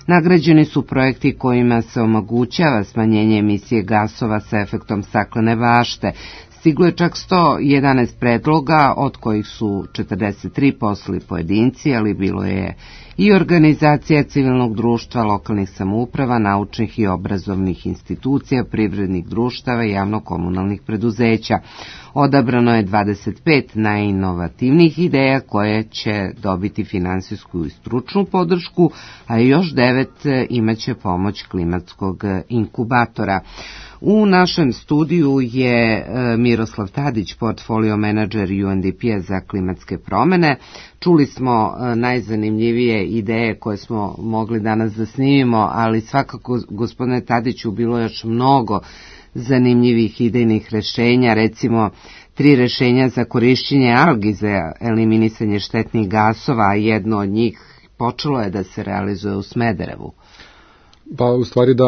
Nagrađeni su projekti kojima se omogućava smanjenje emisije gasova sa efektom staklene bašte. Stiglo je čak 111 predloga, od kojih su 43 poslali pojedinci, ali bilo je i organizacija civilnog društva, lokalnih samouprava, naučnih i obrazovnih institucija, privrednih društava i javno-komunalnih preduzeća. Odabrano je 25 najinovativnijih ideja koje će dobiti finansijsku i stručnu podršku, a još 9 imaće pomoć klimatskog inkubatora. U našem studiju je Miroslav Tadić, portfolio menadžer UNDP-a za klimatske promene. Čuli smo najzanimljivije ideje koje smo mogli danas da snimimo, ali svakako, gospodine Tadiću, bilo je još mnogo zanimljivih idejnih rešenja, recimo 3 rešenja za korišćenje algi za eliminisanje štetnih gasova, a jedno od njih počelo je da se realizuje u Smederevu. Pa u stvari da,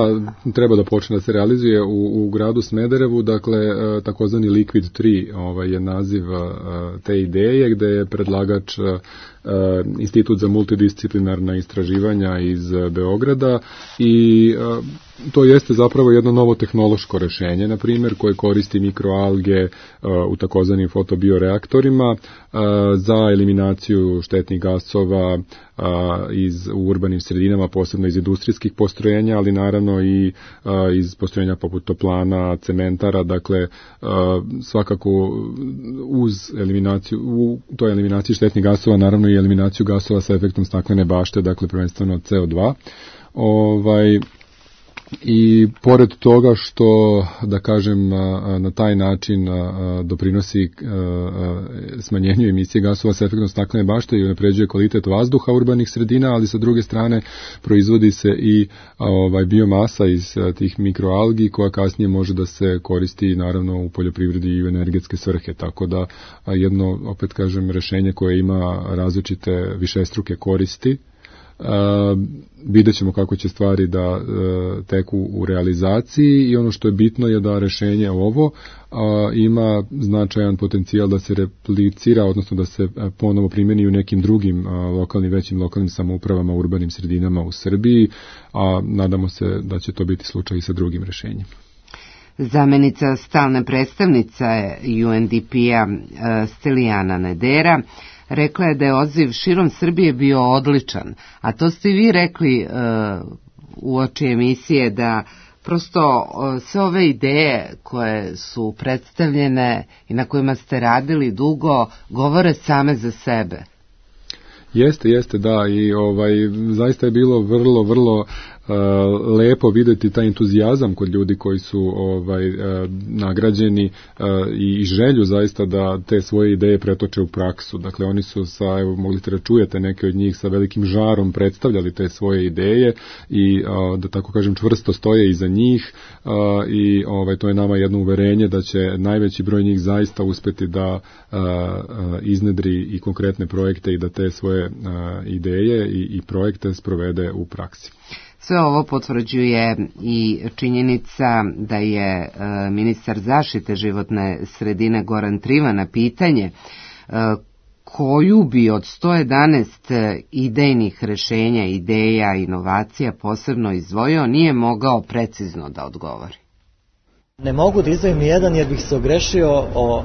treba da počne da se realizuje u gradu Smederevu, dakle takozvani Liquid 3 je naziv te ideje, gde je predlagač Institut za multidisciplinarna istraživanja iz Beograda i to jeste zapravo jedno novo tehnološko rešenje, na primjer, koje koristi mikroalge u takozvanim fotobioreaktorima za eliminaciju štetnih gasova u urbanim sredinama, posebno iz industrijskih postrojenja postrojenja, ali naravno i iz postrojenja poput toplana, cementara, dakle svakako uz eliminaciju, u toj eliminaciji štetnih gasova, naravno i eliminaciju gasova sa efektom staklene bašte, dakle prvenstveno CO2. I pored toga što, da kažem, na taj način doprinosi smanjenju emisije gasova sa efektom staklene bašte i unapređuje kvalitet vazduha urbanih sredina, ali sa druge strane proizvodi se i biomasa iz tih mikroalgi koja kasnije može da se koristi naravno u poljoprivredi i u energetske svrhe, tako da jedno, opet kažem, rešenje koje ima različite višestruke koristi. Vidjet ćemo kako će stvari da teku u realizaciji i ono što je bitno je da rešenje ovo ima značajan potencijal da se replicira, odnosno da se ponovo primjeni u nekim drugim većim lokalnim samoupravama, urbanim sredinama u Srbiji, a nadamo se da će to biti slučaj i sa drugim rešenjem. Zamenica stalne predstavnice UNDP-a Stelijana Nedera rekla je da je odziv širom Srbije bio odličan, a to ste vi rekli uoči emisije, da prosto sve ove ideje koje su predstavljene i na kojima ste radili dugo govore same za sebe. Jeste, da, i zaista je bilo vrlo lepo videti taj entuzijazam kod ljudi koji su nagrađeni i želju zaista da te svoje ideje pretoče u praksu. Dakle, oni su mogli ste da čujete neke od njih sa velikim žarom predstavljali te svoje ideje i da tako kažem čvrsto stoje iza njih i to je nama jedno uverenje da će najveći broj njih zaista uspeti da iznedri i konkretne projekte i da te svoje ideje i projekte sprovede u praksi. Sve ovo potvrđuje i činjenica da je ministar zaštite životne sredine Goran Trivan na pitanje koju bi od 111 idejnih rešenja, ideja, inovacija posebno izdvojio, nije mogao precizno da odgovori. Ne mogu da izdvojim ni jedan jer bih se ogrešio o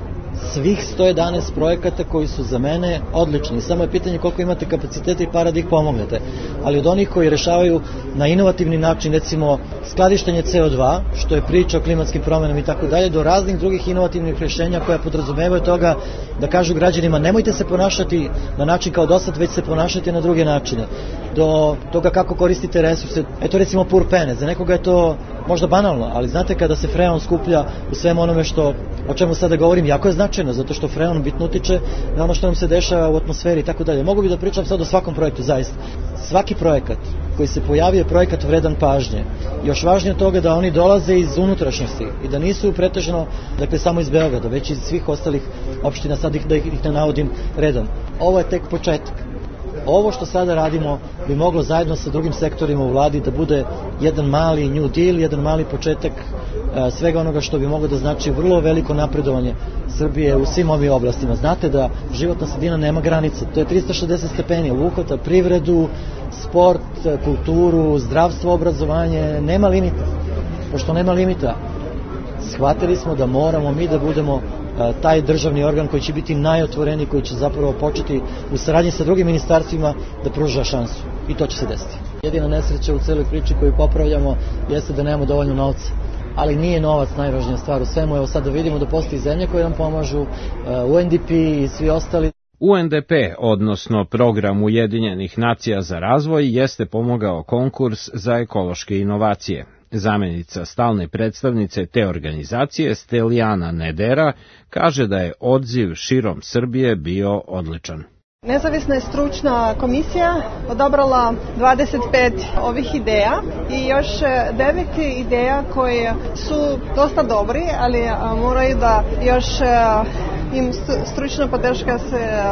svih 111 projekata koji su za mene odlični. Samo je pitanje koliko imate kapaciteta i para da ih pomognete. Ali od onih koji rešavaju na inovativni način, recimo skladištenje CO2, što je priča o klimatskim promjenama i tako dalje, do raznih drugih inovativnih rešenja koja podrazumevaju toga da kažu građanima nemojte se ponašati na način kao dosad, već se ponašati na druge načine. Do toga kako koristite resurse. Eto recimo purpene, za nekoga je to možda banalno, ali znate kada se freon skuplja u svemu onome o čemu sada govorim, jako je značajno, zato što freon bitno utiče na ono što nam se dešava u atmosferi i tako dalje. Mogu bi da pričam sad o svakom projektu, zaista. Svaki projekat koji se pojavi je projekat vredan pažnje. Još važnije od toga da oni dolaze iz unutrašnjosti i da nisu pretežno, dakle, samo iz Beograda, već iz svih ostalih opština, sad da ih ne navodim redom. Ovo je tek početak. Ovo što sada radimo bi moglo zajedno sa drugim sektorima u vladi da bude jedan mali New Deal, jedan mali početak svega onoga što bi moglo da znači vrlo veliko napredovanje Srbije u svim ovim oblastima. Znate da životna sredina nema granice, to je 360 stepeni, obuhvata privredu, sport, kulturu, zdravstvo, obrazovanje, nema limita. Pošto nema limita, shvatili smo da moramo mi da budemo taj državni organ koji će biti najotvoreniji, koji će zapravo početi u saradnji sa drugim ministarstvima da pruža šansu. I to će se desiti. Jedina nesreća u celoj priči koju popravljamo jeste da nemamo dovoljno novca. Ali nije novac najvažnija stvar u svemu. Evo sad da vidimo da postoji zemlje koje nam pomažu, UNDP i svi ostali. UNDP, odnosno Program Ujedinjenih nacija za razvoj, jeste pomogao konkurs za ekološke inovacije. Zamenica stalne predstavnice te organizacije, Stelijana Nedera, kaže da je odziv širom Srbije bio odličan. Nezavisna je stručna komisija odabrala 25 ovih ideja i još 9 ideja koje su dosta dobri, ali moraju da još im stručna podrška se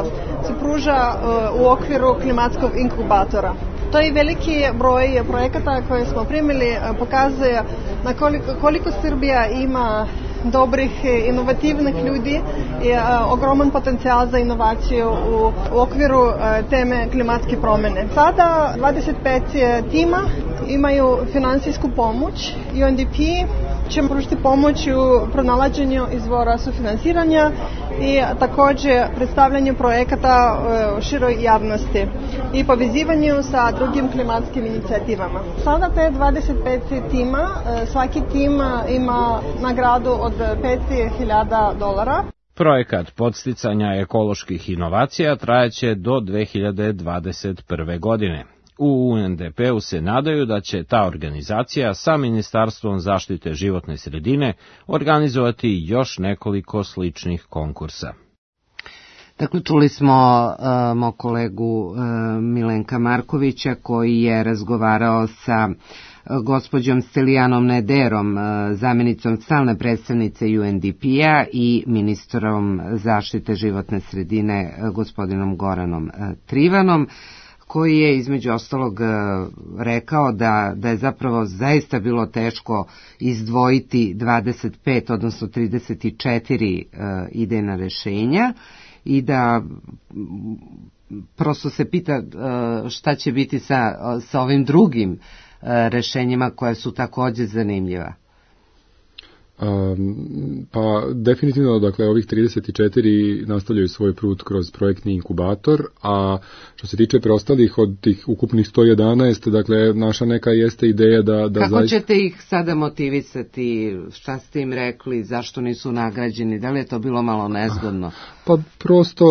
pruža u okviru klimatskog inkubatora. To je veliki broj projekata koje smo primili, pokazuje na koliko Srbija ima dobrih, inovativnih ljudi i ogroman potencijal za inovaciju u okviru teme klimatske promjene. Sada 25 tima imaju finansijsku pomoć UNDP ćemo pružiti pomoć u pronalaženju izvora sufinansiranja i također predstavljanju projekata široj javnosti i povezivanju sa drugim klimatskim inicijativama. Sada te 25 tima, svaki tim ima nagradu od $5.000. Projekat podsticanja ekoloških inovacija trajaće do 2021. godine. U UNDP-u se nadaju da će ta organizacija sa Ministarstvom zaštite životne sredine organizovati još nekoliko sličnih konkursa. Dakle, čuli smo mog kolegu Milenka Markovića koji je razgovarao sa gospođom Stelijanom Nederom, zamjenicom stalne predstavnice UNDP-a i ministrom zaštite životne sredine gospodinom Goranom Trivanom, koji je između ostalog rekao da je zapravo zaista bilo teško izdvojiti 25, odnosno 34 idejna rešenja i da prosto se pita šta će biti sa ovim drugim rešenjima koja su također zanimljiva. Pa definitivno, dakle, ovih 34 nastavljaju svoj put kroz projektni inkubator, a što se tiče preostalih od tih ukupnih 111, dakle, naša neka jeste ideja da kako zaista... ćete ih sada motivisati, šta ste im rekli, zašto nisu nagrađeni, da li je to bilo malo nezgodno? Pa prosto,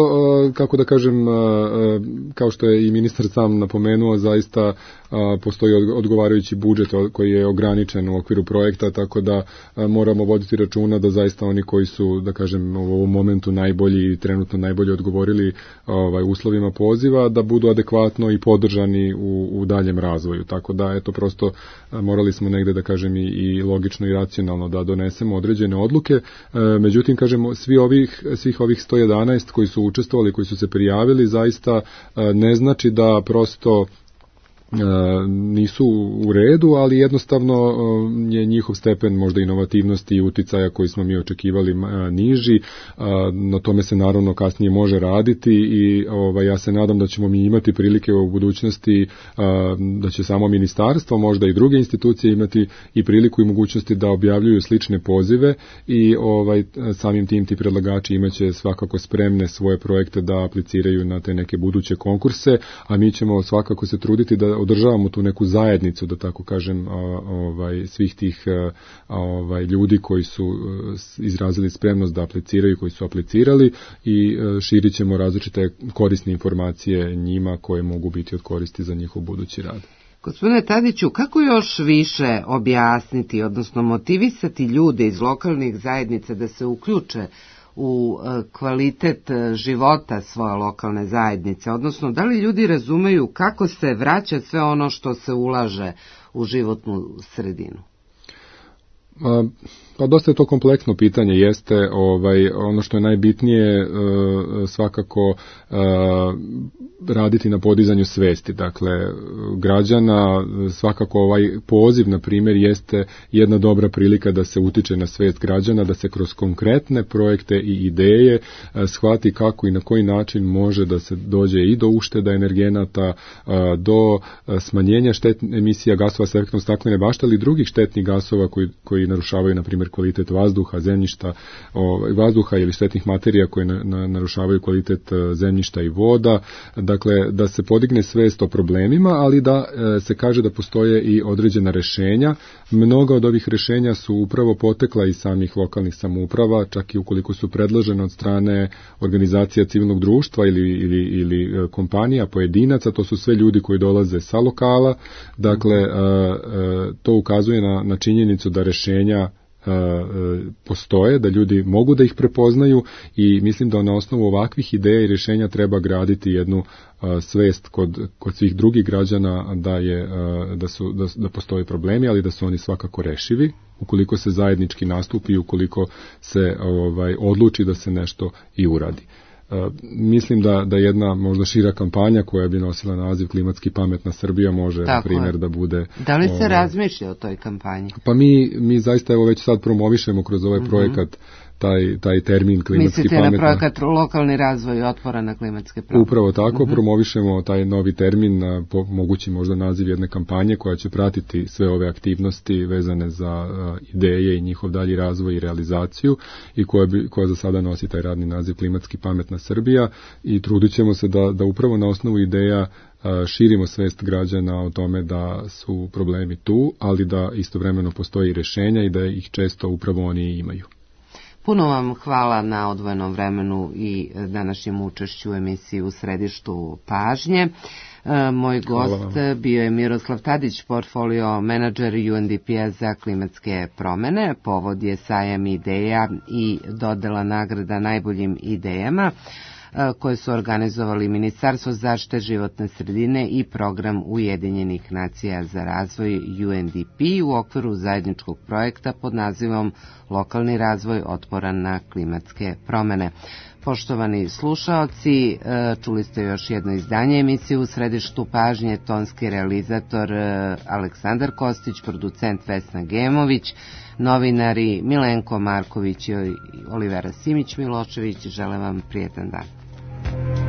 kako da kažem, kao što je i ministar sam napomenuo, zaista postoji odgovarajući budžet koji je ograničen u okviru projekta, tako da moramo voditi računa da zaista oni koji su, da kažem, u ovom momentu najbolji i trenutno najbolje odgovorili uslovima poziva, da budu adekvatno i podržani u daljem razvoju. Tako da, eto, prosto morali smo negde, da kažem, i logično i racionalno da donesemo određene odluke. Međutim, kažemo, svih ovih 111 koji su učestvovali, koji su se prijavili, zaista ne znači da prosto nisu u redu, ali jednostavno je njihov stepen možda inovativnosti i uticaja koji smo mi očekivali niži. Na tome se naravno kasnije može raditi i ja se nadam da ćemo mi imati prilike u budućnosti, da će samo ministarstvo, možda i druge institucije imati i priliku i mogućnosti da objavljuju slične pozive i samim tim ti predlagači imaće svakako spremne svoje projekte da apliciraju na te neke buduće konkurse, a mi ćemo svakako se truditi da održavamo tu neku zajednicu, da tako kažem, svih tih ljudi koji su izrazili spremnost da apliciraju, koji su aplicirali, i širit ćemo različite korisne informacije njima koje mogu biti od koristi za njihov budući rad. Gospodine Tadiću, kako još više objasniti, odnosno motivisati ljude iz lokalnih zajednica da se uključe u kvalitet života svoje lokalne zajednice, odnosno da li ljudi razumeju kako se vraća sve ono što se ulaže u životnu sredinu? Pa dosta je to kompleksno pitanje, jeste ono što je najbitnije svakako raditi na podizanju svesti, dakle građana. Svakako ovaj poziv, na primjer, jeste jedna dobra prilika da se utiče na svest građana, da se kroz konkretne projekte i ideje shvati kako i na koji način može da se dođe i do ušteda energenata, do smanjenja emisija gasova s efektom staklene bašte, ali i drugih štetnih gasova koji narušavaju, na primjer, kvalitet vazduha, zemljišta, vazduha ili štetnih materija koje narušavaju kvalitet zemljišta i voda. Dakle, da se podigne svest o problemima, ali da se kaže da postoje i određena rešenja. Mnoga od ovih rešenja su upravo potekla iz samih lokalnih samouprava, čak i ukoliko su predložene od strane organizacija civilnog društva ili kompanija, pojedinaca. To su sve ljudi koji dolaze sa lokala. Dakle, to ukazuje na činjenicu da rešenja postoje, da ljudi mogu da ih prepoznaju, i mislim da na osnovu ovakvih ideja i rješenja treba graditi jednu svest kod svih drugih građana da postoje problemi, ali da su oni svakako rešivi ukoliko se zajednički nastupi i ukoliko se odluči da se nešto i uradi. Mislim da jedna možda šira kampanja koja bi nosila naziv Klimatski pametna Srbija može, na primjer, da bude... Da li se razmišlja o toj kampanji? Pa mi zaista već sad promovišemo kroz ovaj projekat taj termin klimatski mislite pametna. na projekat lokalni razvoj otpora na klimatske promjene? Upravo tako, promovišemo taj novi termin, mogući možda naziv jedne kampanje koja će pratiti sve ove aktivnosti vezane za ideje i njihov dalji razvoj i realizaciju i koja za sada nosi taj radni naziv Klimatski pametna Srbija i trudit ćemo se da upravo na osnovu ideja širimo svest građana o tome da su problemi tu, ali da istovremeno postoji rješenja i da ih često upravo oni imaju. Puno vam hvala na odvojenom vremenu i današnjem učešću u emisiji U središtu pažnje. Moj gost bio je Miroslav Tadić, portfolio menadžer UNDP-a za klimatske promjene. Povod je sajam ideja i dodela nagrada najboljim idejama koje su organizovali Ministarstvo zaštite životne sredine i program Ujedinjenih nacija za razvoj UNDP u okviru zajedničkog projekta pod nazivom Lokalni razvoj otporan na klimatske promjene. Poštovani slušaoci, čuli ste još jedno izdanje emisije U središtu pažnje, tonski realizator Aleksandar Kostić, producent Vesna Gemović, novinari Milenko Marković i Olivera Simić-Milošević. Želim vam prijetan dan.